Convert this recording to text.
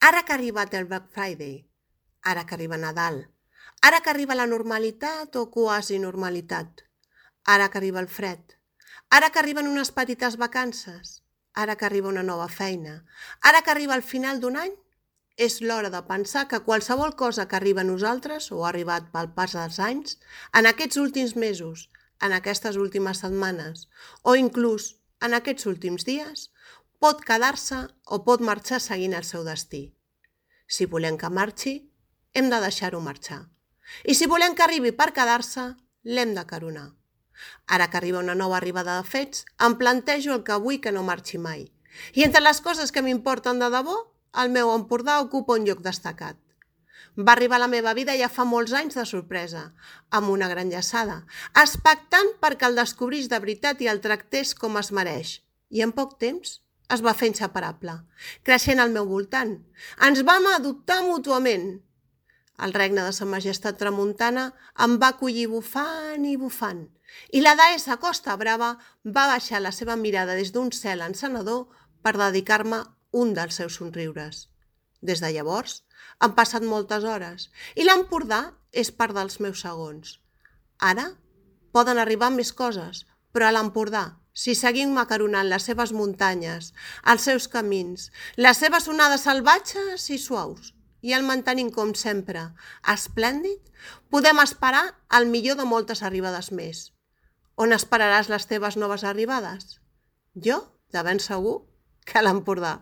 Ara que ha arribat el Black Friday, ara que arriba Nadal, ara que arriba la normalitat o quasi normalitat, ara que arriba el fred, ara que arriben unes petites vacances, ara que arriba una nova feina, ara que arriba el final d'un any, és l'hora de pensar que qualsevol cosa que arriba a nosaltres o ha arribat pel pas dels anys, en aquests últims mesos, en aquestes últimes setmanes o inclús en aquests últims dies, pot quedar-se o pot marxar seguint el seu destí. Si volem que marxi, hem de deixar-ho marxar. I si volem que arribi per quedar-se, l'hem de caronar. Ara que arriba una nova arribada de fets, em plantejo el que vull que no marxi mai. I entre les coses que m'importen de debò, el meu Empordà ocupa un lloc destacat. Va arribar a la meva vida ja fa molts anys de sorpresa, amb una gran llaçada, expectant perquè el descobrís de veritat i el tractés com es mereix. I en poc temps es va fer inseparable, creixent al meu voltant. Ens vam adoptar mútuament. El regne de Sa Majestat Tramuntana em va acollir bufant i bufant, i la deessa Costa Brava va baixar la seva mirada des d'un cel encenedor per dedicar-me un dels seus somriures. Des de llavors han passat moltes hores i l'Empordà és part dels meus segons. Ara poden arribar més coses, però a l'Empordà, si seguim macaronant les seves muntanyes, els seus camins, les seves onades salvatges i suaus, i el mantenim com sempre, esplèndid, podem esperar el millor de moltes arribades més. On esperaràs les teves noves arribades? Jo, de ben segur, que a l'Empordà.